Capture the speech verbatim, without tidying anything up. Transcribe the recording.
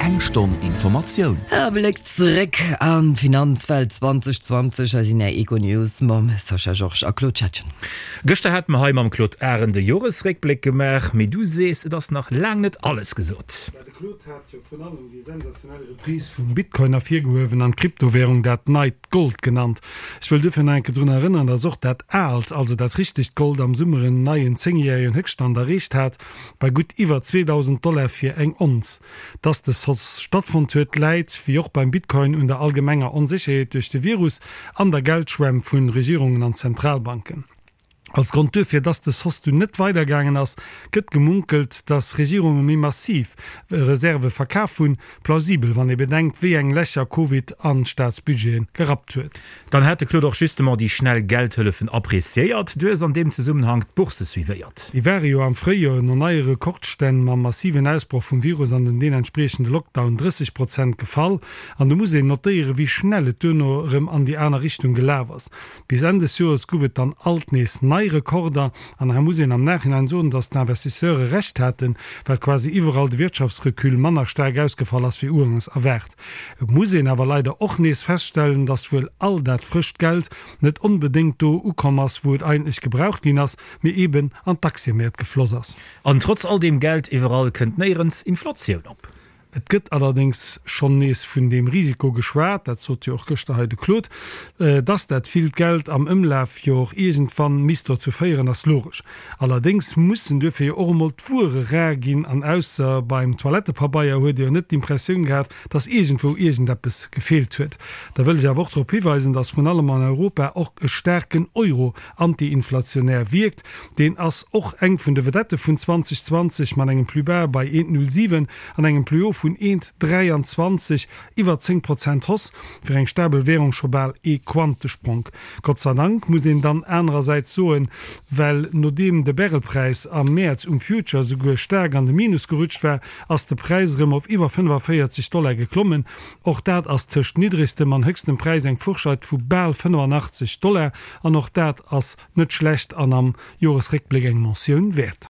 Eng Stonn Informatioun. E Bléck zeréck an d'Finanzwelt zwanzeg zwanzeg hei sinn Är Econews mam Sascha Georges a Claude Schettgen. Gëschter hate mer hei mam Claude Arend de Joresréckbléck gemaach, mee du sees, et ass nach laang net alles gesot. De Claude hat jo vrun allem déi sensationell Reprise vum Bitcoin ervirgehuewen an d'Kryptowärung dat neit Gold genannt. Ech wëll duerfir nach eng Kéier drun erënneren, dass och dat aalt, also dat richtegt Gold am Summer en neien zéngjäregen Héchststand erreecht hat, bei gutt iwwer zweedausend Dollar fir eng Onz. Dass dës Hausse stattfonnt huet, läit, wéi och beim Bitcoin, un der allgemenger Onsécherheet duerch de Virus an der Geldschwämm vu Regierungen an Zentralbanken. Als Grond duerfir, dass dës Hausse dunn net weidergaangen ass, gëtt gemunkelt, dass Regierunge méi massiv Reserve verkaf hunn. Plausibel, wann ee bedenkt, wéi eng Lächer Covid an d'Staatsbudgete gerappt huet. Dann hat de Claude och justement déi schnell Geldhëllefen appreciéiert. Du hues an deem Zesummenhank d'Bourse suivéiert. Déi ware jo am Fréijoer no neie Rekordstänn mam massiven Ausbroch vum Virus an den deenentspriechende Lockdown drësseg Prozent gefall. An do muss een notéieren, wéi schnell et duerno erëm an déi aner Richtung gelaf ass. Bis Enn des Joers gouf et dann alt nees nei Rekorder. An hei muss een am Nachhinein soen, dass d'Investisseure Recht haten, well quasi iwwerall de Wirtschaftsrecul manner staark ausgefall ass wéi ugangs erwaart. Et muss een awer leider och nees feststellen, dass wuel all dat frëscht Geld net onbedéngt do ukomm ass, wou et eigentlech gebraucht ginn ass, mee eben an d'Aktiëmäert gefloss ass. An trotz all deem Geld iwwerall kënnt néierens Inflatioun op. Et gëtt allerdéngs schonn nees vun deem Risiko geschwat, dat sot jo och gëschter hei de Claude, dass dat villt Geld am Ëmlaf jo och iergendwann misst dozou féieren, ass logesch. Allerdéngs mussen duerfir jo och emol d'Wuere rar ginn an ausser beim Toilettepabeier huet ee jo net d'Impressioun gehat, dass iergendwou iergendeppes gefeelt huet. Da wëll ech awer och drop hiweisen, dass vrun allem an Europa och e staarken Euro anti-inflationär wierkt. Deen ass och eng vun de Vedette vun zweitausendzwanzeg mat engem Plus-bas bei eent Komma null siwen an engem Plus-haut vun eent Komma dräianzwanzeg, iwwer zéng Prozent Hausse, fir eng stabel Währung scho bal ee Quantespronk. Gott sei Dank, muss een dann anerersäits soen, well nodeem de Barrelpräis am Mäerz um Future souguer staark an de Minus gerutscht war, ass de Präis erëm op iwwer fënnefavéierzeg Dollar geklommen. Och dat ass tëscht niddregstem an héchstem Präis eng Fourscheit vu bal fënnefannachtzeg Dollar an och dat ass net schlecht an am Joresréckbléck eng Mentioun wäert.